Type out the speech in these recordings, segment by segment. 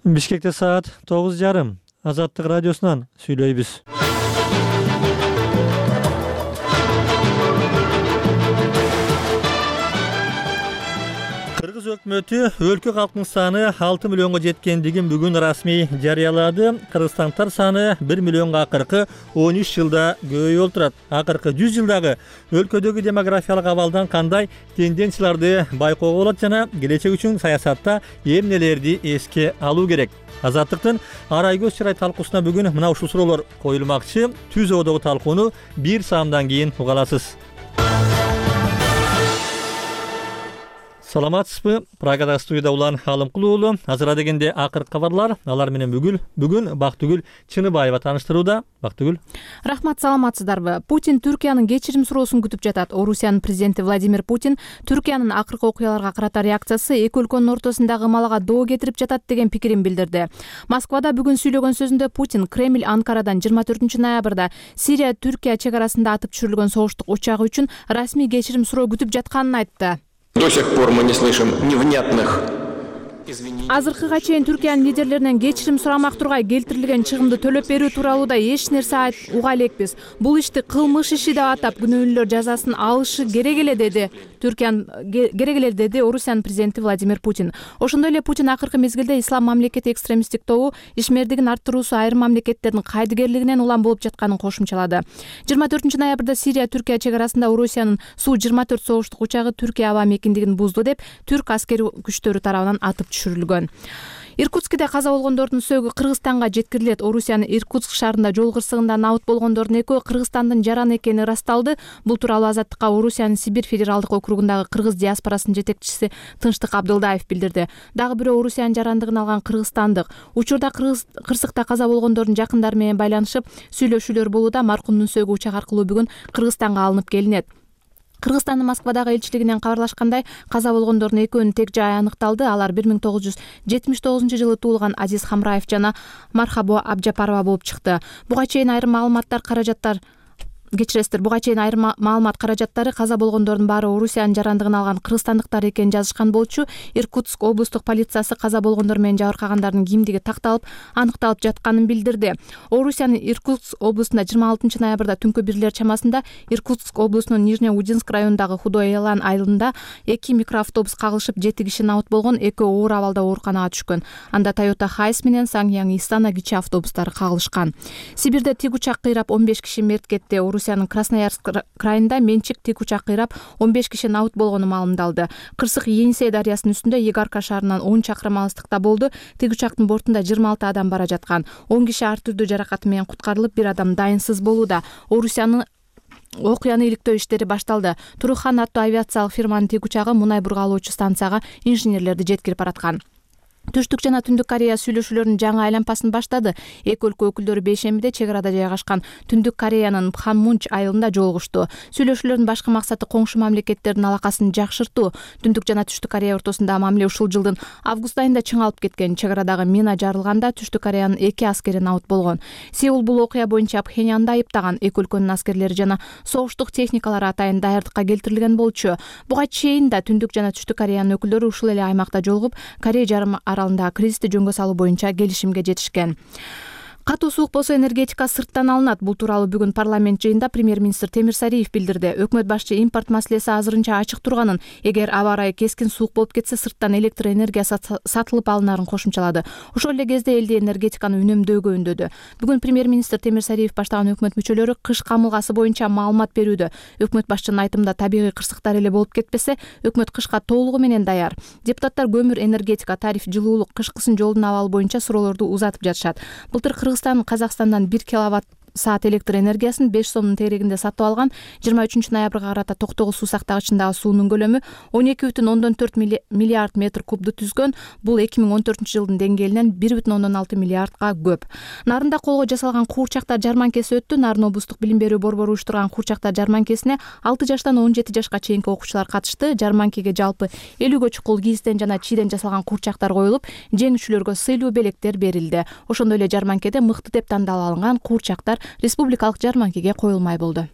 Бишкекте саат 9:30. Азаттык радиосунан сүйлөйбүз. Кыргыз өкмөтү өлкө калкынын саны 6 миллионго жеткендигин бүгүн расмий жарыялады. Кыргызстандыктар саны 1 миллионго акыркы 13 жылда көбөйүп отурат. Акыркы 100 жылдагы өлкөдөгү демографиялык абалдан кандай тенденцияларды байкоого болот жана келечек үчүн саясатта эмнелерди эске алуу керек? Азаттыктын арай көз чырай талкуусуна бүгүн мына ушул суроолор коюлмакчы. Түз ободогу талкууну бир саамдан кийин уга аласыз. Саламатсызбы? Прагада студияда улан Алымкул уулу. Азыр дегенде акыркы кабарлар. Алар менен бүгүн Бактыгүл Чыныбаева тааныштырууда. Бактыгүл. Рахмат, саламатсыздарбы? Путин Түркиянын кечирим суроосун күтүп жатат. Орусиянын президенти Владимир Путин Түркиянын акыркы окуяларга карата реакциясы эки өлкөнүн ортосундагы ымалага доо кетирип жатат деген пикирин билдирди. Москвада бүгүн сүйлөгөн сөзүндө Путин Кремль Анкарадан 24 ноябрда Сирия Түркия чек арасында атып түшүрүлгөн согуштук учагы үчүн расмий кечирим суроо күтүп жатканын айтты. До сих пор мы не слышим невнятных извинений. Азыркыга чейин Түркиянын лидерлеринен кечирим сурамак тургай келтирилген чыгымды төлөп берүү тууралуу да эч нерсе уга элекпиз. Бул ишти кылмыш иши деп атап күнөөлүүлөр жазасын алышы керек эле деди. Деди Орусиянын президенти Владимир Путин. Ошондой эле Путин акыркы мезгилде ислам мамлекети экстремисттик тобу ишмердигин арттыруусу айрым мамлекеттердин кайдыгерлигинен улам болуп жатканын кошумчалады. 24 ноябрда Сирия Түркия чек арасында Орусиянын Су-24 согуштук учагы Түркия аба мекендигин бузду деп түрк аскери күчтөрү тарабынан атып түшүрүлгөн. Иркутскиде каза болгондордун сөөгү Кыргызстанга жеткирилет. Орусиянын Иркутск шаарында жол кырсыгында набыт болгондордун экөө Кыргызстандын жараны экени ырасталды. Бул тууралуу Азаттыкка Орусиянын Сибирь федералдык округундагы кыргыз диаспорасынын жетекчиси Тынчтык Абдылдаев билдирди. Дагы бирөө Орусиянын жарандыгын алган кыргызстандык. Учурда кырсыкта каза болгондордун жакындары менен байланышып сүйлөшүүлөр болууда. Маркумдун сөөгү учак аркылуу бүгүн Кыргызстанга алынып келинет. Кыргызстандын Москвадагы элчилигинен кабарлашкандай, каза болгондордун экөөнүн тег жайы аныкталды. Алар 1979 жылы туулган Азиз Хамраев жана Мархабо Абжапарова болуп чыкты. Буга чейин айрым маалымат каражаттары каза болгондордун баары Орусиянын жарандыгын алган кыргызстандыктар экенин жазышкан болчу. Иркутск облустук полициясы каза болгондор менен жабыркагандардын кимдиги такталып, аныкталып жатканын билдирди. Орусиянын Иркутск облусунда 26 ноябрда түнкү 1 чамасында Иркутск облусунун Нижнеудинск районундагы Худой Элан айылында 2 микроавтобус кагылышып 7 киши набыт болгон, экөө оор абалда ооруканага түшкөн. Анда Toyota Hiace менен Sanyang Istana кичи автобустары кагылышкан. Сибирде тик учак кыйрап 15 киши мерт кетти. Орусиянын Красноярск крайында менчик тик учак кыйрап 15 киши набыт болгону маалымдалды. Кырсык Енисей дарыясынын үстүндө Игарка шаарынан 10 чакырым алыстыкта болду. Тик учактын бортунда 26 адам бара жаткан. 10 киши ар түрдүү жаракаты менен куткарылып, бир адам дайынсыз болууда. Орусиянын окуяны иликтөө иштери башталды. Турухан аттуу авиациялык фирманын тик учагы мунай бургалоочу станцияга инженерлерди жеткирип бараткан. Түштүк жана Түндүк Корея сүйлөшүүлөрүнүн жаңы айланпасын баштады. Эки өлкө өкүлдөрү бейшембиде чек арада жайгашкан Түндүк Кореянын Пханмунч айылында жолугушту. Сүйлөшүүлөрдүн башкы максаты коңшу мамлекеттердин алакасын жакшыртуу. Түндүк жана Түштүк Корея ортосундагы мамиле ушул жылдын август айында чыңалып кеткен. Чек арадагы мина жарылганда Түштүк Кореянын 2 аскери набыт болгон. Сеул бул окуя боюнча Пхеньянды айыптаган. Эки өлкөнүн аскерлери жана согуштук техникалары атайын даярдыкка келтирилген болчу. Буга чейин да Түндүк жана Түштүк Кореянын өкүлдөрү ушул эле аймакта жолугуп, Корея жарым аралындагы кризисти жөнгө салуу боюнча келишимге жетишкен. Катуу суук болсо энергетика сырттан алынат. Бул тууралуу бүгүн парламент жыйынында премьер-министр Темир Сариев билдирди. Өкмөт башчы импорт маселеси азырынча ачык турганын, эгер аба ырайы кескин суук болуп кетсе, сырттан электр энергия сатылып алынарын кошумчалады. Ошол эле кезде элди энергетиканы үнөмдөөгө үндөдү. Бүгүн премьер-министр Темир Сариев баштаган өкмөт мүчөлөрү кыш камылгасы боюнча маалымат берүүдө. Өкмөт башчынын айтымында табигый кырсыктар эле болуп кетпесе, өкмөт кышка толугу менен даяр. Депутаттар көмүр, энергетика, тариф, жылуулук, кышкысын жолдун абалы боюнча суроолорду узатып жатышат. Былтыр Кыргызстан Казакстандан 1 киловатт саат электр энергиясын 5 сомдун тегерегинде сатып алган. 23 ноябрга карата Токтогул суу сактагычындагы суунун көлөмү 12,4 миллиард метр кубду түзгөн. Бул 2014 жылдын деңгээлинен 1,6 миллиардга көп. Нарында колго жасалган куурчактар жарманкеси өттү. Нарын облустук билим берүү борбору уюштурган куурчактар жарманкесине 6 жаштан 17 жашка чейинки окуучулар катышты. Жарманкеге жалпы 50гө чукул кийизден жана чийден жасалган куурчактар коюлуп, жеңүүчүлөргө сыйлуу белектер берилди. Ошондой эле жарманкеде мыкты деп тандалып алынган куурчактар республикалык жарманкеге коюлмай болду.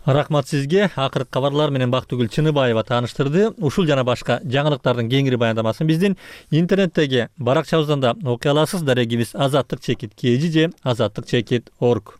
Рахмат сизге. Акыркы кабарлар менен Бактыгүл Чыныбаева тааныштырды. Ушул жана башка жаңылыктардын кеңири баяндамасын биздин интернеттеги баракчабыздан да окуй аласыз. Дарегибиз azatlyk-kg же azatlyk-org.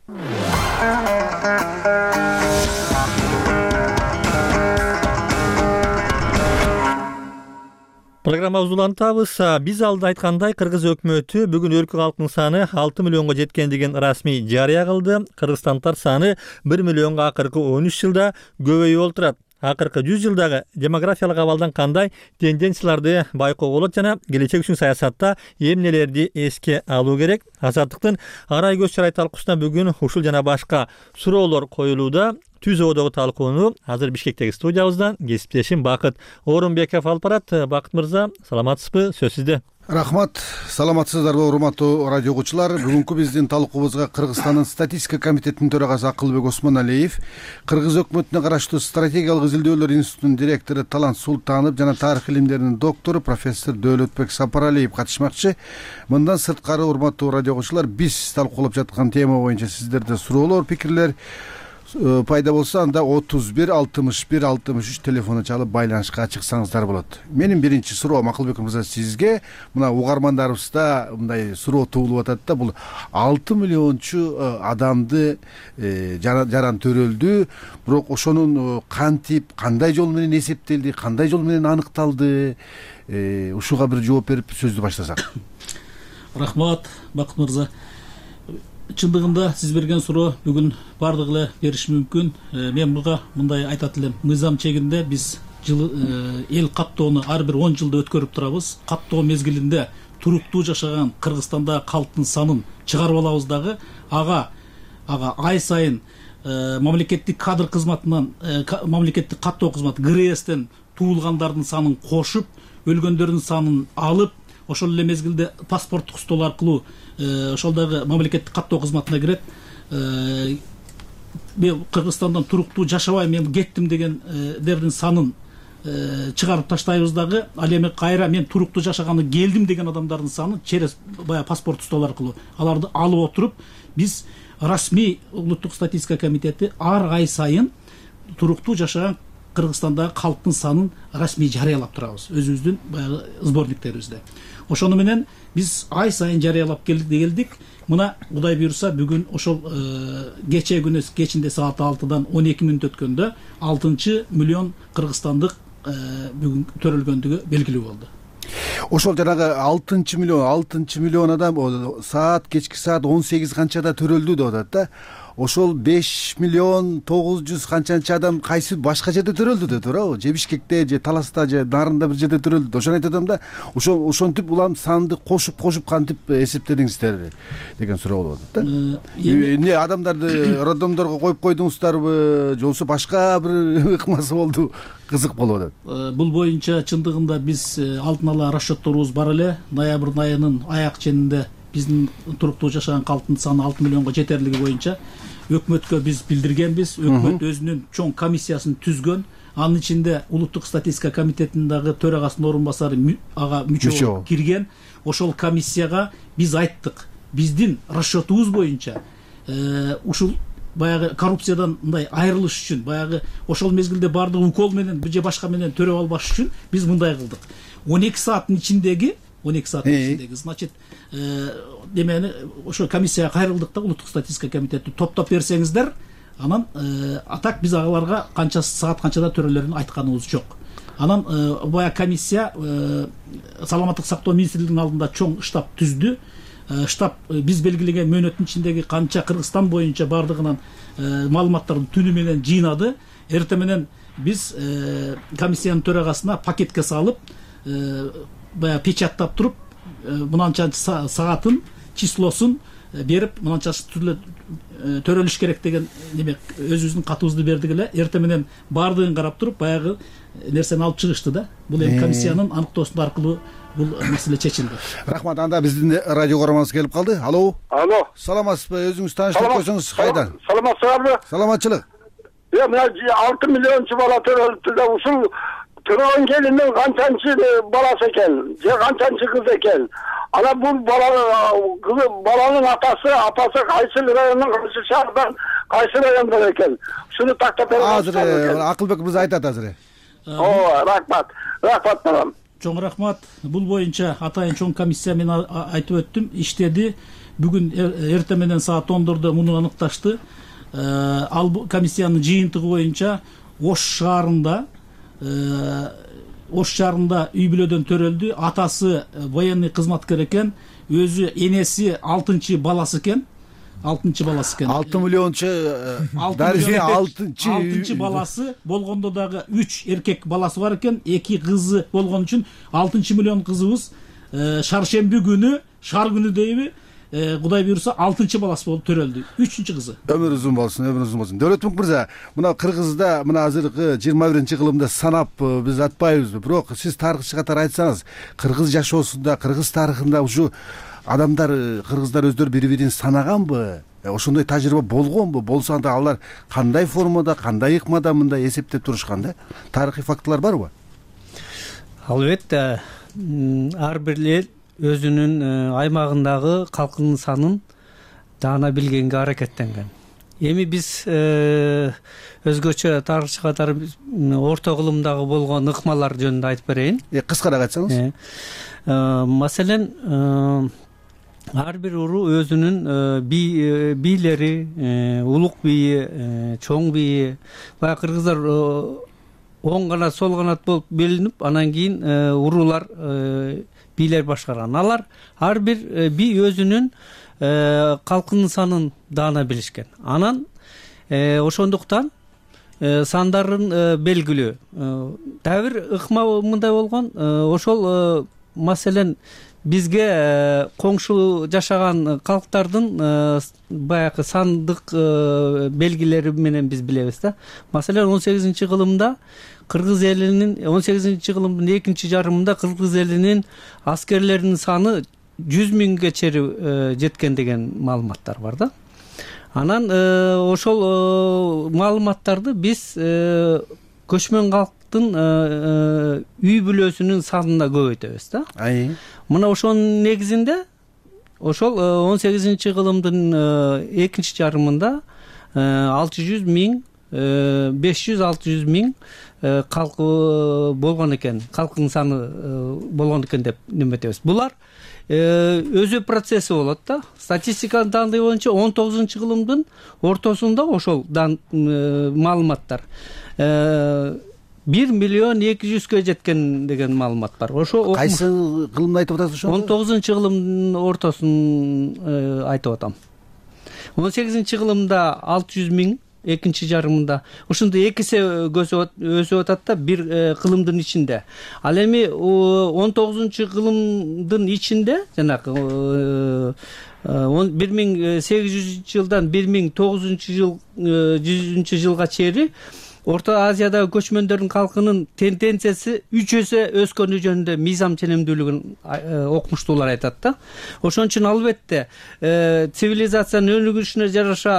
Программабызды улантабыз. Биз алда айткандай, Кыргыз өкмөтү бүгүн өлкө калкынын саны 6 миллионго жеткендигин расмий жарыя кылды. Кыргызстандыктар саны 1 миллионго акыркы 13 жылда көбөйүп отурат. Акыркы 100 жылдагы демографиялык абалдан кандай тенденцияларды байкоого болот жана келечек үчүн саясатта эмнелерди эске алуу керек? Азаттыктын арай көз чарай талкуусуна бүгүн ушул жана башка суроолор коюлууда. Түз оодогу талкууну азыр Бишкектеги студиябыздан кесиптешим Бакыт Орунбеков алып барат. Бакыт мырза, саламатсызбы? Сөз сизде. Рахмат, саламатсыздарбы урматтуу радио угуучулар. Бүгүнкү биздин талкуубузга Кыргызстандын статистика комитетинин төрагасы Акылбек Осмоналиев, Кыргыз өкмөтүнө караштуу стратегиялык изилдөөлөр институтунун директору Талант Султанов жана тарых илимдеринин доктору профессор Дөөлөтбек Сапаралиев катышмакчы. Мындан сырткары урматтуу радио угуучулар, биз талкуулап жаткан тема боюнча сиздерде суроолор, пикирлер пайда болсо, анда 31 61 63 телефону чалып байланышка чыксаңыздар болот. Менин биринчи суроом Акылбек мырза сизге. Мына угармандарыбызда мындай суроо туулуп атат да, бул 6 миллиончу адамды жаран төрөлдү, бирок ошонун кантип, кандай жол менен эсептелди, кандай жол менен аныкталды? Ушуга бир жооп берип сөздү баштасак. Рахмат, Бакыт мырза. Чындыгында сиз берген суроо бүгүн бардыгы эле бериши мүмкүн. Мен буга мындай айтат элем. Мыйзам чегинде биз эл каттоону ар бир 10 жылда өткөрүп турабыз. Каттоо мезгилинде туруктуу жашаган Кыргызстандагы калктын санын чыгарып алабыз дагы. Ага ай сайын мамлекеттик кадр кызматынан, мамлекеттик каттоо кызматы ГРСтен туулгандардын санын кошуп, өлгөндөрдүн санын алып, ошол эле мезгилде паспорттук стол аркылуу ошол дагы мамлекеттик каттоо кызматына кирет. Мен Кыргызстандан туруктуу жашабай мен кеттим дегендердин санын чыгарып таштайбыз дагы. Ал эми кайра мен туруктуу жашаганы келдим деген адамдардын санын через баягы паспорттук стол аркылуу аларды алып отуруп, биз расмий улуттук статистика комитети ар ай сайын туруктуу жашаган Кыргызстандагы калктын санын расмий жарыялап турабыз өзүбүздүн баягы сборниктерибизде. Ошону менен биз ай сайын жарыялап келдик. Мына Кудай буйруса бүгүн ошол кече күнү кечинде саат 6-дан 12 мүнөт өткөндө 6 миллион кыргызстандык бүгүн төрөлгөндүгү белгилүү болду. Ошол жанагы 6 миллион адам кечки саат 18 канчада төрөлдү деп атат да. Ошол 5 миллион 900 канчанчы адам кайсы башка жерде төрөлдү деп туурабы? Же Бишкекте, же Таласта, же Нарында бир жерде төрөлдү. Ошону айтатам да. Ошентип улам санды кошуп кантип эсептедиңиздер деген суроо болуп атат да. Эмне адамдарды роддомдорго коюп койдуңуздарбы, же болбосо башка бир ыкмасы болду? Кызык болуп атат. Бул боюнча чындыгында биз алдын ала расчетторубуз бар эле. Ноябрь айынын аяк ченинде биздин туруктуу жашаган калктын саны 6 миллионго жетерлиги боюнча өкмөткө биз билдиргенбиз. Өкмөт өзүнүн чоң комиссиясын түзгөн. Анын ичинде улуттук статистика комитетинин дагы төрагасынын орун басары ага мүчө кирген. Ошол комиссияга биз айттык, биздин расчетубуз боюнча ушул баягы коррупциядан мындай айрылыш үчүн, баягы ошол мезгилде бардыгы укол менен же башка менен төрөп албаш үчүн биз мындай кылдык. 12 сааттын ичиндеги, значит, демени ошо комиссияга кайрылдык да, улуттук статистика комитети топтоп берсеңиздер, анан атак биз агаларга канча саат канчада төрөлөрүн айтканыбыз жок. Анан баягы комиссия саламаттык сактоо министрлигинин алдында чоң штаб түздү. Штаб биз белгилеген мөөнөттүн ичиндеги канча Кыргызстан боюнча бардыгынан маалыматтарды түнү менен жыйнады. Эртең менен биз комиссиянын төрагасына пакетке салып, баягы печаттап туруп, мынанча саатын, числосун берип, мынанча төрөлүш керек деген неме өзүбүздүн катыбызды бердик эле. Эртең менен бардыгын карап туруп, баягы нерсени алып чыгышты да. Бул эми комиссиянын аныктоосу аркылуу бул маселе чечилди. Рахмат. Анда биздин радио көрөрманыбыз келип калды. Алло. Саламатсызбы? Өзүңүз тааныштырып койсоңуз кайдан? Саламатсызбы? Саламатчылык. Мына 6 миллиончу бала төрөлүптү да, ушул төрөгөн келиндин канчанчы баласы экен, же канчанчы кыз экен? Ана бул баланын апасы кайсы райондун, кайсы шаардан кайсы райондо экен? Ушуну тактап берип азыр Акылбек мырза айтат азыр. Рахмат балам. Чоң рахмат. Бул боюнча атайын чоң комиссия мен айтып өттүм, иштеди. Бүгүн эртең менен саат 10:00 муну аныкташты. Ал комиссиянын жыйынтыгы боюнча Ош шаарында үй бүлөдөн төрөлдү. Атасы военный кызматкер экен, өзү энеси 6 баласы экен. 6 миллиончу дарыжы 6 баласы болгондо дагы 3 эркек баласы бар экен, 2 кызы болгон үчүн 6 миллион кызыбыз шаршемби күнү, шар күнү дейби, Кудай буйруса 6 баласы болуп төрөлдү. 3 кызы. Өмүр узун болсун. Дөөлөтмүк мырза, мына Кыргызда мына азыркы 21-кылымда санап биз атпайбызбы, бирок сиз тарыхчы катары айтсаңыз, кыргыз жашоосунда, кыргыз тарыхында ушу адамдар, кыргыздар өздөрү бири-бирин санаганбы? Ошондой тажрыйба болгонбу? Болсо анда алар кандай формада, кандай ыкмада мындай эсептеп турушкан да? Тарыхый фактылар барбы? Албетте, ар бир эл өзүнүн аймагындагы калкынын санын даана билгенге аракеттенген. Эми биз өзгөчө тарыхчы катары орто кылымдагы болгон ыкмалар жөнүндө айтып берейин. Кыскараак айтсаңыз. Маселен, ар бир уруу өзүнүн бийлери, улук бийи, чоң бийи, баягы кыргыздар оң канат, сол канат болуп белинип, анан кийин уруулар, бийлер башкарган. Алар ар бир бий өзүнүн калкынын санын даана билишкен. Анан ошондуктан сандарын белгилүү. Дагы бир ыкма мындай болгон, ошол маселен бизге коңшу жашаган калктардын баягы сандык белгилери менен биз билебиз да. Маселен 18-кылымда кыргыз элинин 18-кылымдын экинчи жарымында кыргыз элинин аскерлеринин саны 100 миңге чейин жеткен деген маалыматтар бар да. Анан ошол маалыматтарды биз көчмөн калктын үй бүлөсүнүн санына көбөйтөбүз да. Мына ошонун негизинде ошол 18-кылымдын экинчи жарымында 600 миң 500-600 миң калкы болгон экен, калкынын саны болгон экен деп неметебиз. Булар өзү процесси болот да. Статистиканын данды боюнча 19-кылымдын ортосунда ошол маалыматтар 1 миллион 200-кө жеткен деген маалымат бар. Ошо кайсы кылымды айтып атасыз ошо? 19-кылымдын ортосун айтып атам. 18-кылымда 600 миң, экинчи жарымында ушундай экисе өсүп атат да бир кылымдын ичинде. Ал эми 19-кылымдын ичинде жанагы 1800 жылдан 1900 жылга чейин Орто Азиядагы көчмөндөрдүн калкынын тенденциясы 3 эсе өскөнү жөнүндө мыйзам ченемдүүлүгүн окумуштуулар айтат да. Ошон үчүн албетте цивилизациянын өнүгүшүнө жараша,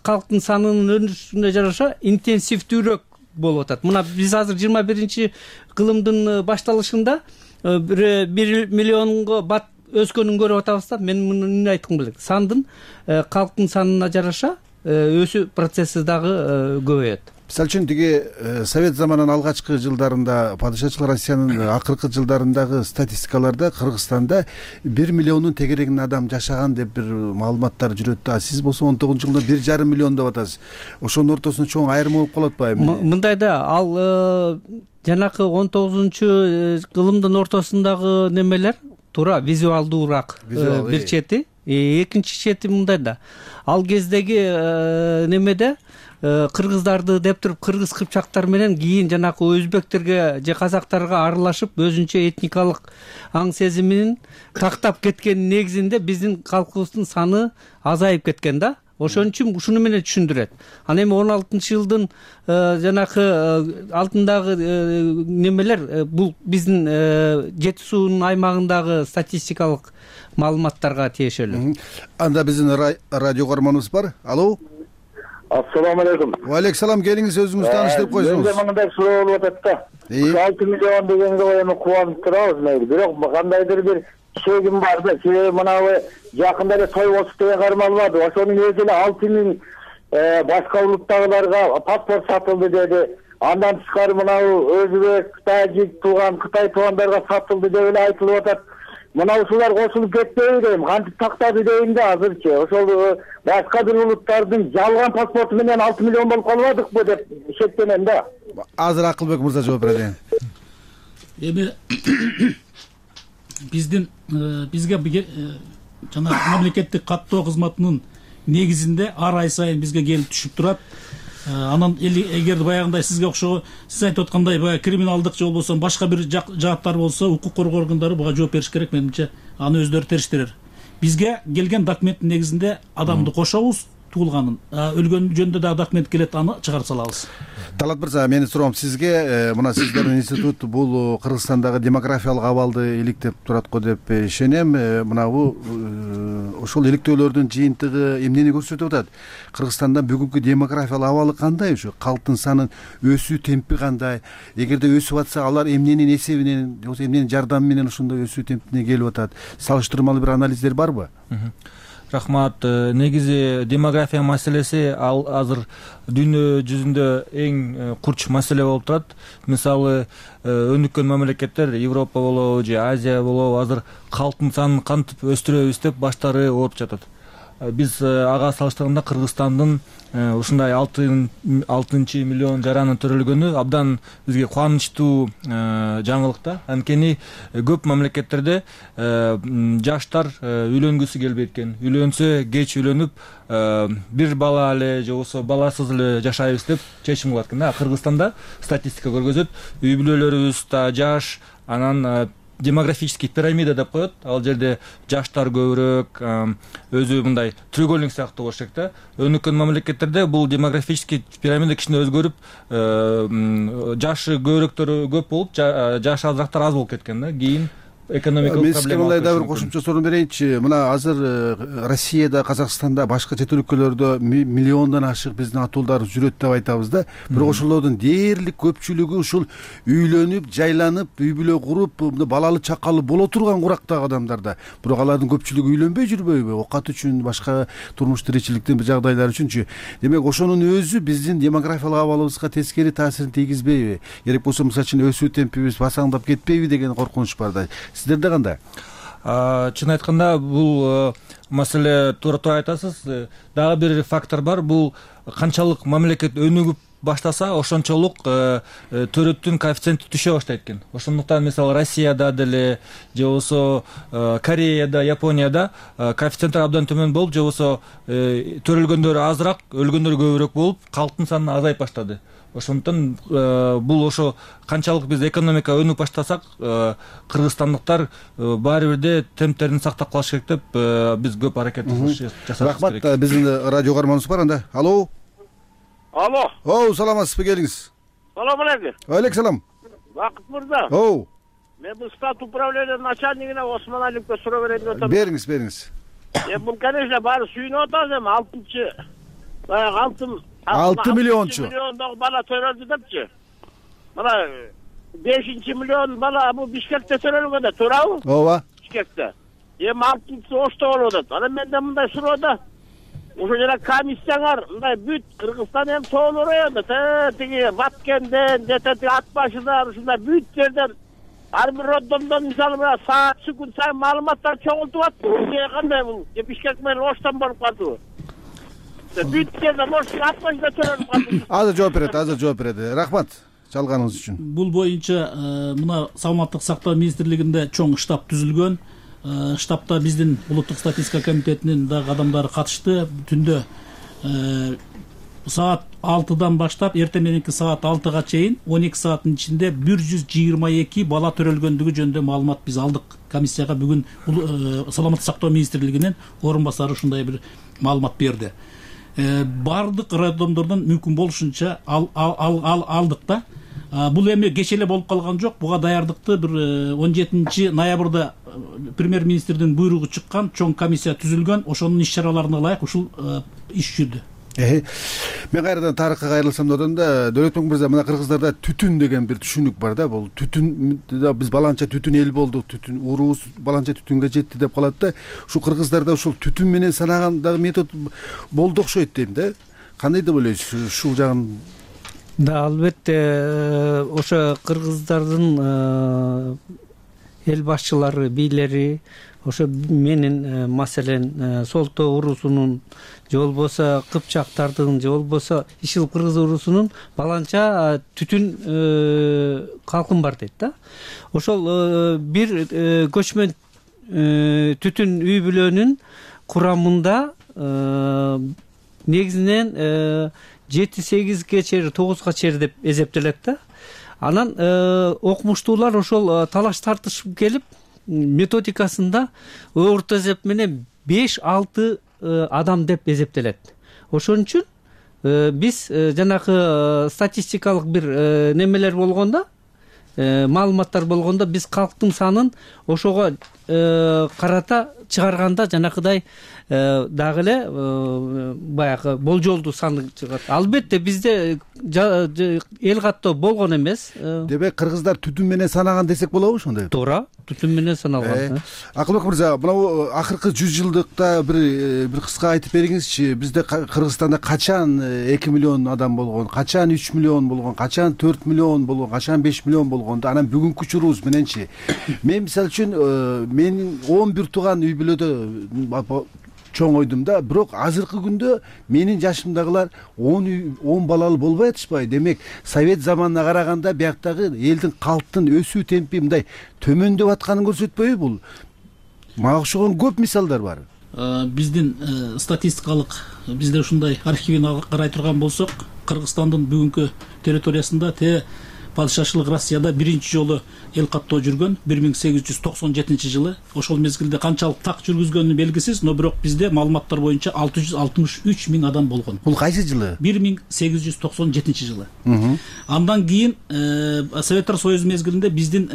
калктын санынын өнүгүшүнө жараша интенсивдүүрөөк болуп атат. Мына биз азыр 21-кылымдын башталышында 1 миллионго бат өскөнүн көрүп атабыз да. Мен муну эмне айткым келет? Сандын калктын санына жараша өсүү процесси дагы көбөйөт. Мисалы үчүн тиги Совет заманынын алгачкы жылдарында, падышачылык Россиянын акыркы жылдарындагы статистикаларда Кыргызстанда 1 миллиондун тегерегинде адам жашаган деп бир маалыматтар жүрөт да. Сиз болсо 19-жылда 1,5 миллион деп атасыз. Ошонун ортосунда чоң айырма болуп калат ба эми? Мындай да, ал жанакы 19-кылымдын ортосундагы немелер туура визуалдуураак бир чети, экинчи чети мындай да. Ал кездеги немеде кыргыздарды деп туруп кыргыз кыпчактар менен кийин жанакы өзбектерге же казактарга аралашып өзүнчө этникалык аң сезимин тактап кеткенин негизинде биздин калкыбыздын саны азайып кеткен да. Ошон үчүн ушуну менен түшүндүрөт. Анан эми 16-жылдын жанакы алдындагы немелер бул биздин Жети суунун аймагындагы статистикалык маалыматтарга тиешелүү. Анда биздин радио көрөрманыбыз бар. Алло. Ассаламу алейкум. Валейкум салам, келиңиз, өзүңүз тааныштырып койсоңуз. Менде мындай суроо болуп атат да. 6 миллион дегенге эми кубанып турабыз мейли. Бирок кандайдыр бир чегим бар да. Себеби мынабы жакында эле той болчу деген каарман бар. Ошонун өзү эле 6 миң башка улуттагыларга паспорт сатылды деди. Андан тышкары мынау өзбек, тажик тууган, Кытай туугандарга сатылды деп эле айтылып атат. Мына ушулар кошулуп кетпейби дейм, кантип тактады дейм да азырчы. Ошол башка бир улуттардын жалган паспорту менен 6 миллион болуп калбадыкпы деп шектенем да. Азыр Акылбек мырза жооп берет. Эми бизге жана мамлекеттик каттоо кызматынын негизинде ар ай сайын бизге келип түшүп турат. Анан эгер баягындай сизге окшогон сиз айтып аткандай баягы криминалдык же болбосо башка бир жааттар болсо укук коргоо органдары буга жооп бериш керек, менимче аны өздөрү териштирер. Бизге келген документтин негизинде адамды кошобуз, туулганын, өлгөн жөнүндө дагы документ келет, аны чыгарып салабыз. Талат мырза, менин суроом сизге, мына сиздердин институт бул Кыргызстандагы демографиялык абалды иликтеп турат го деп ишенем. Мына бул ошол иликтөөлөрдүн жыйынтыгы эмнени көрсөтүп атат? Кыргызстанда бүгүнкү демографиялык абалы кандай? Ушу калктын санын өсүү темпи кандай? Эгерде өсүп атса, алар эмненин эсебинен, же эмненин жардамы менен ошондой өсүү темпине келип атат? Салыштырмалуу бир анализдер барбы? Рахмат. Негизи демография маселеси ал азыр дүйнө жүзүндө эң курч маселе болуп турат. Мисалы, өнүккөн мамлекеттер, Европа болобу же Азия болобу, азыр калктын санын кантип өстүрөбүз деп баштары ооруп жатат. Биз ага салыштырганда Кыргызстандын ушундай 6 миллион жаранын төрөлгөнү абдан бизге кубанычтуу жаңылык да. Анткени көп мамлекеттерде жаштар үйлөнгүсү келбейт экен. Үйлөнсө кеч үйлөнүп, бир бала эле же болбосо баласыз эле жашайбыз деп чечим кылат экен. Кыргызстанда статистика көргөзөт, үй бүлөлөрүбүз да жаш, анан демографический пирамида деп коет. Ал жерде жаштар көбүрөөк, өзү мындай треугольник сыяктуу болуш керек да. Өнүккөн мамлекеттерде бул демографический пирамида кичине өзгөрүп, жашы көбүрөөктөрү көп болуп, жашы азырактар аз болуп кеткен да. Кийин экономикалык проблема. Мен сизге мындай да бир кошумча суроо берейинчи. Мына азыр Россияда, Казакстанда, башка чет өлкөлөрдө миллиондон ашык биздин атуулдар жүрөт деп айтабыз да. Бирок ошолордун дээрлик көпчүлүгү ушул үйлөнүп, жайланып, үй бүлө куруп, балалы чакалы боло турган курактагы адамдар да. Бирок алардын көпчүлүгү үйлөнбөй жүрбөйбү? Окат үчүн, башка турмуш тиричиликтин бир жагдайлары үчүнчү. Демек ошонун өзү биздин демографиялык абалыбызга тескери таасирин тийгизбейби? Керек болсо мисалы үчүн өсүү темпибиз басаңдап кетпейби деген коркунуч бар да. Сиздерде кандай? Чын айтканда, бул маселе туура айтасыз. Дагы бир фактор бар. Бул канчалык мамлекет өнүгүп баштаса, ошончолук төрөттүн коэффициенти түшө баштайт экен. Ошондуктан мисалы Россияда деле же болбосо Кореяда, Японияда коэффициенттер абдан төмөн болуп, же болбосо төрөлгөндөр азыраак, өлгөндөр көбүрөөк болуп, калктын саны азайып баштады. Ошондуктан бул ошо канчалык биз экономика өнүп баштасак, кыргызстандыктар баары бирде темптерин сактап калыш керек деп биз көп аракет жасабыз керек. Рахмат. Биздин радио каарманыбыз бар анда. Алло. Алло. Саламатсызбы, келиңиз. Салам алейкум. Алейкум салам. Бакыт мырза. Мен бул штат управления начальнигине Осмон Алиевке суроо берейин деп атам. Бериңиз. Бул, конечно, баары сүйүнүп атабыз, эми 6 миллиончу. 6 миллиондогу бала төрөлдү депчи. Мына 5 миллион бала бул Бишкекте төрөлгөн да, туурабы? Ооба. Бишкекте. Эми 6-сы Ошто болуп атат. Анан менде мындай суроо да. Ошо жана комиссияңар мындай бүт Кыргызстан эми тоолор районунда, тиги Баткенден, жетети Ат башыдан, ушундай бүт жерден ар бир роддомдон мисалы мына саат секунд сайын маалыматтар чогултуп атты. Кандай бул? Бишкек менен Оштон болуп калдыбы? Бүт жерден Оштон Ат башыда төрөлүп калды. Азыр жооп берет. Рахмат чалганыңыз үчүн. Бул боюнча мына саламаттык сактоо министрлигинде чоң штаб түзүлгөн. Штабта биздин улуттук статистика комитетинин дагы адамдары катышты. Түндө саат 6-дан баштап эртең мененки саат 6-га чейин 12 сааттын ичинде 122 бала төрөлгөндүгү жөнүндө маалымат биз алдык. Комиссияга бүгүн саламаттык сактоо министрлигинин орун басары ушундай бир маалымат берди. Бардык роддомдордон мүмкүн болушунча алдык да. Бул эми кече эле болуп калган жок. Буга даярдыкты бир 17 ноябрда премьер-министрдин буйругу чыккан, чоң комиссия түзүлгөн. Ошонун иш-чараларына ылайык ушул иш жүрдү. Мен кайрадан тарыхка кайрылсам да, Дөлөтбек мырза, мына кыргыздарда түтүн деген бир түшүнүк бар да. Бул түтүн, биз баланча түтүн эл болдук, түтүн уруубуз баланча түтүнгө жетти деп калат да. Ушу кыргыздарда ушул түтүн менен санаган дагы метод болду окшойт дейм да. кандай деп ойлойсуз ушул жагын? Да, албетте ошо кыргыздардын эл башчылары, бийлери ошо менин маселен Солто урусунун же болбосо кыпчактардын же болбосо ишил кыргыз урусунун баланча түтүн калкын бар дейт да. Ошол бир көчмөн түтүн үй бүлөнүн курамында негизинен 7-8ге чейин 9га чейин деп эсептелет да. Анан окумуштуулар ошол талаш тартышып келип методикасында орто эсеп менен 5-6 адам деп эсептелет. Ошон үчүн биз жанагы статистикалык бир немелер болгондо, маалыматтар болгондо биз калктын санын ошого карата чыгарганда жанакыдай дагы эле баягы болжолдуу сан чыгат. Албетте бизде эл каттоо болгон эмес. Демек кыргыздар түтүн менен санаган десек болобу ошондой? Туура, түтүн менен саналган. Акылбек мырза, мына акыркы 100 жылдыкта бир кыска айтып бериңизчи, бизде Кыргызстанда качан 2 миллион адам болгон, качан 3 миллион болгон, качан 4 миллион болгон, качан 5 миллион болгонду, анан бүгүнкү учурубуз мененчи. Мен мисалы үчүн менин 11 тууган үй бүлөдө чоң ойдум да, бирок азыркы күндө менин жашымдагылар 10 балалуу болбой атышпайбы? Демек, совет заманына караганда бияктагы элдин калктын өсүү темпи мындай төмөндөп атканын көрсөтпөйбү бул? Мага окшогон көп мисалдар бар. Биздин статистикалык бизде ушундай архивин карай турган болсок, Кыргызстандын бүгүнкү территориясында падышачылык Россияда биринчи жолу эл каттоо жүргөн 1897 жылы. Ошол мезгилде канчалык так жүргүзгөнү белгисиз, но бирок бизде маалыматтар боюнча 663 миң адам болгон. Бул кайсы жылы? 1897 жылы. Андан кийин Советтер Союзу мезгилинде биздин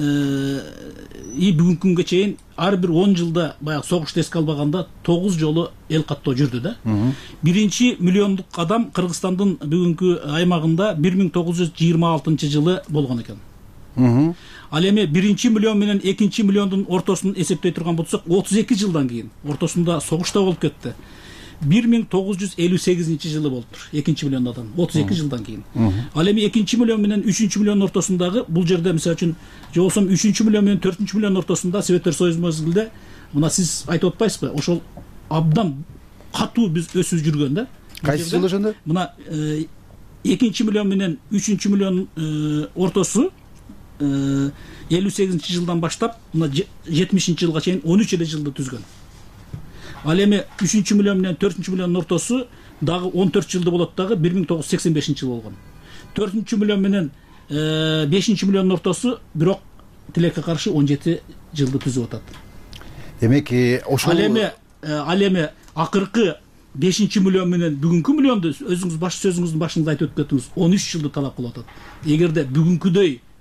бүгүнкү күнгө чейин ар бир 10 жылда баягы согушту эске албаганда 9 жолу эл каттоо жүрдү да. Биринчи миллиондук адам Кыргызстандын бүгүнкү аймагында 1926 жылы болгон экен. Ал эми биринчи миллион менен экинчи миллиондун ортосун эсептей турган болсок, 32 жылдан кийин ортосунда согуш да болуп кетти. 1958 жылы болуптур экинчи миллион адам, 32 жылдан кийин. Ал эми экинчи миллион менен үчүнчү миллион ортосундагы бул жерде мисалы үчүн же болсо үчүнчү миллион менен төртүнчү миллион ортосунда Советтер Союзу мезгилде мына сиз айтып атпайсызбы, ошол абдан катуу биз өсүү жүргөн да. Кайсы жыл ошондо? Мына экинчи миллион менен үчүнчү миллион ортосу 58 жылдан баштап мына 70 жылга чейин 13 эле жылды түзгөн. Ал эми 3 миллион менен 4 миллион ортосу дагы 14 жылды болот дагы 1985 жыл болгон. 4 миллион менен 5 миллион ортосу бирок тилекке каршы 17 жылды түзүп атат. Демек, ошол ал эми акыркы 5 миллион менен бүгүнкү миллионду өзүңүз баш сөзүңүздүн башында айтып өтүп кеттиңиз, 13 жылды талап кылып атат. Эгерде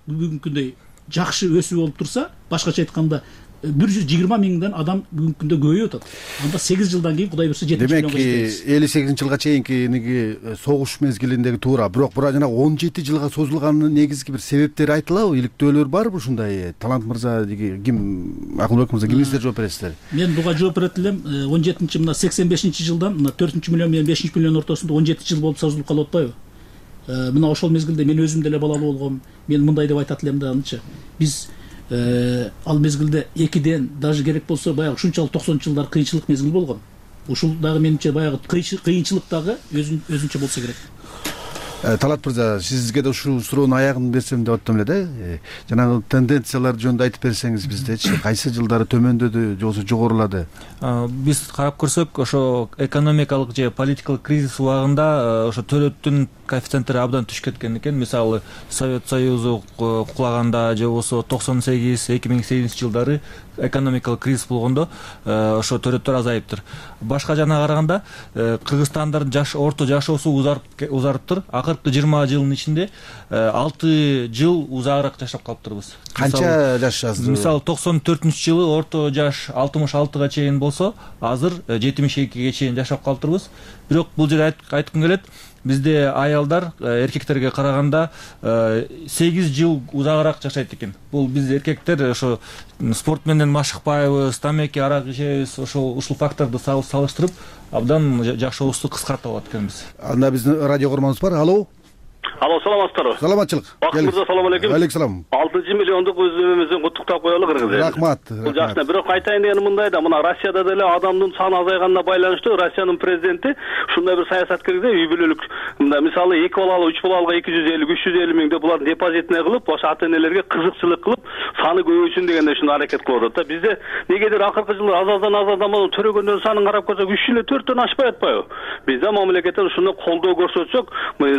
бүгүнкүдөй жакшы өсүү болуп турса, башкача айтканда 120 миңден адам бүгүнкү күндө көбөйүп атат. Анда 8 жылдан кийин Кудай буйрса 7 миллионго жетебиз. Демек 58 жылга чейинки согуш мезгилиндеги туура, бирок жана 17 жылга созулганын негизги бир себептери айтылабы? Иликтөөлөр барбы ушундай? Талант мырза, ким, Акылбек мырза, кимиңиздер жооп бересиздер? Мен буга жооп берет элем. 17 мына 85 жылдан мына 4 миллион менен 5 миллион ортосунда 17 жыл болуп созулуп калып атпайбы? Мына ошол мезгилде мен өзүм деле балалуу болгом. Мен мындай деп айтат элем да, анча. Биз ал мезгилде 2ден даже керек болсо баягы ушунчалык 90 жылдар кыйынчылык мезгил болгон. Ушул дагы менимче баягы кыйынчылык дагы өзүнчө болсо керек. Талант мырза, сизге да ушул суроонун аягын берсем деп аттым эле да. Жанагы тенденциялар жөнүндө айтып берсеңиз биздечи, кайсы жылдары төмөндөдү же болбосо жогорулады? Биз карап көрсөк, ошо экономикалык же политикалык кризис убагында ошо төлөттүн коэффициенттери абдан түшүп кеткен экен. Мисалы, Совет Союзу кулаганда же болбосо 98-2008 жылдары экономикалык кризис болгондо ошо төлөттөр азайыптыр. Башка жана караганда Кыргызстандардын орто жашоосу узарыптыр. Акыркы 20 жылдын ичинде 6 жыл узагыраак жашап калыптырбыз. Канча жаш азыр? Мисалы 94-жылы орто жаш 66га чейин болсо, азыр 72ге чейин жашап калыптырбыз. Бирок бул жерде айткым келет, бизде аялдар эркектерге караганда 8 жыл узагыраак жашайт экен. Бул биз эркектер ошо спорт менен машыкпайбыз, тамеки, арак ичебиз, ушул факторду салыштырып абдан жашообузду кыскартып алат экенбиз. Анда биздин радио көрмөбүз бар. Алло, саламатсыздарбы? Саламатчылык. Бакыт мырза, салам алейкум. Алейкум. 6 миллиондук өзүбүздүн куттуктап коелу Кыргыз элин. Рахмат. Бул жакшы. Бирок айтайын дегеним мындай да, мына Россияда деле адамдын саны азайганына байланыштуу Россиянын президенти ушундай бир саясат киргизди, үй бүлөлүк. Мында мисалы 2 балалуу, 3 балалууга 250-350 миңди буларды депозитине кылып, ошо ата-энелерге кызыкчылык кылып, саны көбөйсүн дегенде ушуну аракет кылып атат да. Бизде негедир акыркы жылы азаздан төрөгөндөрдүн санын карап көрсөк 3 эле 4төн ашпай атпайбы? Бизде мамлекеттен ушуну колдоо көрсөтсөк,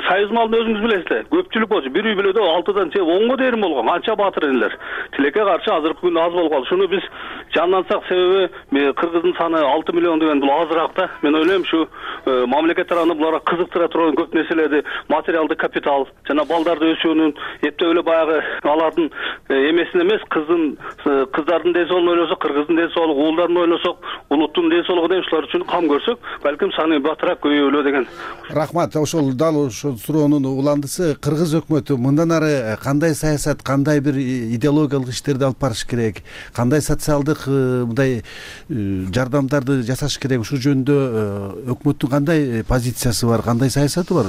союз малын өзүңүз билесиздер. Көпчүлүк болчу. Bir үй бүлөдө 6дан 10га дейин болгон. Анча баатыр энелер. Тилекке каршы азыркы күндө аз болуп калды. Шуну биз жандансак, себеби Кыргыздын саны 6 миллион деген бул азыраак да. Мен ойлойм ушу мамлекет тарабынан буларга кызыктыра турган көп нерселерди, материалдык капитал жана балдарды өсүүнүн эптеп эле баягы алардын эмесин эмес, кыздардын ден соолугун ойлосок, кыргыздын ден соолугу, уулдарын ойлосок, улуттун ден соолугу деген ушулар үчүн кам көрсөк, балким саны батыраак көбөйөлө деген. Рахмат. Ошол дал ошол суроонун уландысы Кыргыз өкмөтү мындан ары кандай саясат, кандай бир идеологиялык иштерди алып барыш керек, кандай социалдык мындай жардамдарды жасаш керек, ушул жөнүндө өкмөттүн кандай позициясы бар, кандай саясаты бар?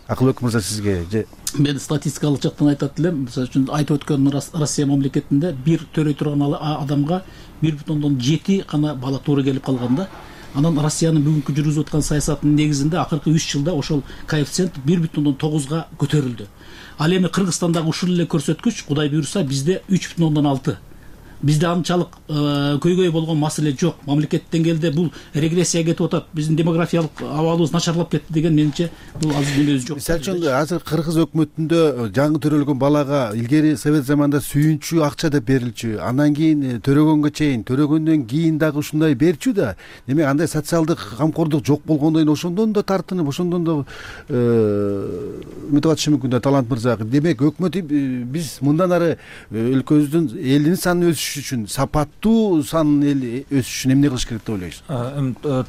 Акылбек мырза, сизге мен статистикалык жактан айтат элем. Мисалы үчүн айтып өткөн Россия мамлекетинде бир төрөй турган адамга 1,7 гана бала туура келип калганда, анан Россиянын бүгүнкү жүргүзүп аткан саясатынын негизинде акыркы 3 жылда ошол коэффициент 1,9 көтөрүлдү. Ал эми Кыргызстандагы ушул эле көрсөткүч, Кудай буйрса, бизде 3,6. Бизде анчалык көйгөй болгон маселе жок. Мамлекет деңгээлде бул регрессия кетип атат. Биздин демографиялык абалыбыз начарлап кетти деген менимче бул азыр өзү жок. Мисалы үчүн азыр Кыргыз өкмөтүндө жаңы төрөлгөн балага илгери совет заманында сүйүнчү акча деп берилчү, андан кийин төрөгөнгө чейин, төрөгөндөн кийин дагы ушундай берчү да. Демек андай социалдык камкордук жок болгондон кийин ошондон да тартынып, ошондон да үмүт атышы мүмкүн да Талант мырза. Демек өкмөт биз мындан ары өлкөбүздүн элдин санын үчүн, сапаттуу санын өсүш үчүн эмне кылыш керек деп ойлойсуз?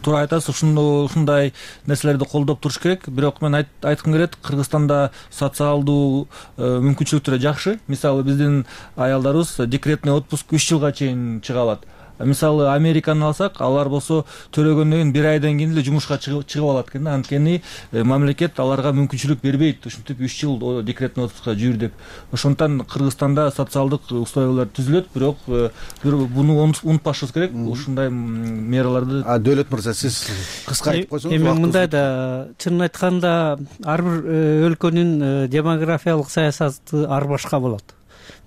Туура айтасыз, ушундай нерселерди колдоп туруш керек. Бирок мен айткым келет, Кыргызстанда социалдуу мүмкүнчүлүктөр жакшы. Мисалы биздин аялдарыбыз декретный отпуск 3 жылга чейин чыга алат. Мисалы Американы алсак, алар болсо төрөгөндөн кийин 1 айдан кийин эле жумушка чыгып алат экен. Анткени мамлекет аларга мүмкүнчүлүк бербейт ушинтип 3 жыл декретный отпускка жүрү деп. Ошондон Кыргызстанда социалдык условиялар түзүлөт, бирок буну унутпашыбыз керек. Ушундай мераларды. Дөөлөт мырза, сиз кыска айтып койсоңуз. Эми мындай да, чынын айтканда ар бир өлкөнүн демографиялык саясаты ар башка болот.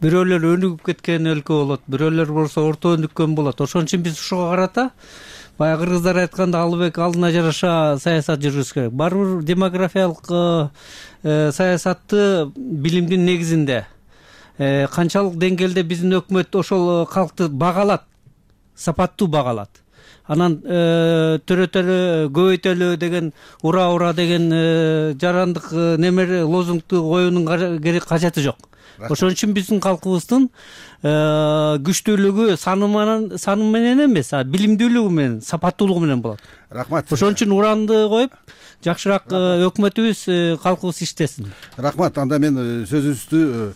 Бирөөлөр өнүгүп кеткен өлкө болот, бирөөлөр болсо орто өнүккөн болот. Ошон үчүн биз ушуга карата баягы кыргыздар айтканда албек алдына жараша саясат жүргүзүш керек. Бар бир демографиялык саясатты билимдин негизинде канчалык деңгээлде биздин өкмөт ошол калкты багалат, сапаттуу багалат. Анан төрөтөлө, көбөйтөлө деген, ура деген жарандык немер лозунгду коюунун кажети жок. Ошон үчүн биздин калкыбыздын күчтүүлүгү саны менен эмес, билимдүүлүгү менен, сапаттуулугу менен болот. Рахмат. Ошон үчүн уранды коюп, жакшыраак өкмөтүбүз, калкыбыз иштесин. Рахмат. Анда мен сөзүбүздү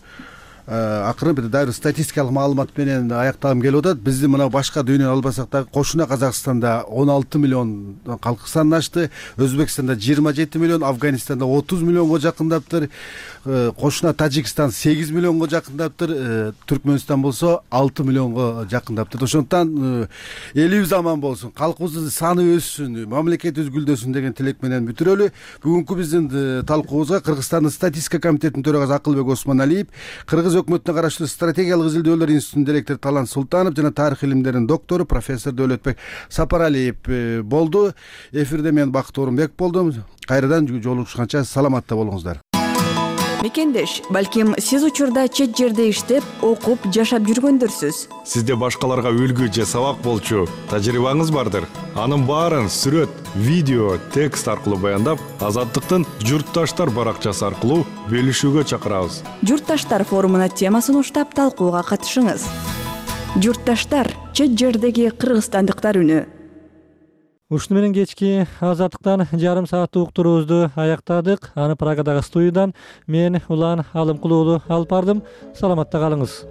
акырын бир дайыр статистикалык маалымат менен аяктагым келип атат. Биздин мына башка дүйнөнү албасак дагы кошуна Казакстанда 16 миллион калк саны ашты, Өзбекстанда 27 миллион, Афганистанда 30 миллионго жакындаптыр, кошуна Тажикстан 8 миллионго жакындаптыр, Түркмөнстан болсо 6 миллионго жакындаптыр. Ошондон элибиз аман болсун, калкыбыздын саны өссүн, мамлекетибиз гүлдөсүн деген тилек менен бүтүрөлү. Бүгүнкү биздин талкуубузга Кыргызстандын статистика комитетинин төрагасы Акылбек Осмоналиев, Кыргыз өкмөтүнө караштуу стратегиялык изилдөөлөр институтунун директору Талант Султанов жана тарых илимдеринин доктору профессор Дөөлөтбек Сапаралиев болду. Эфирде мен Бакыт Орунбек болдум. Кайрадан жолугушканча саламатта болуңуздар. Мекендеш, балким сиз учурда чет жерде иштеп, окуп, жашап жүргөндөрсүз. Сизде башкаларга үлгү же сабак болчу тажрыйбаңыз бардыр. Анын баарын сүрөт, видео, текст аркылуу баяндап, Азаттыктын Журтташтар баракчасы аркылуу бөлүшүүгө чакырабыз. Журтташтар форумуна темасын уштап талкууга катышыңыз. Журтташтар — чет жердеги кыргызстандыктар үнү. Ушуну менен кечки Азаттыктан жарым сааттык уктуруубузду аяктадык. Аны Праgadагы студиядан мен Улан Алымкулуу алып бардым. Саламатта калыңыз.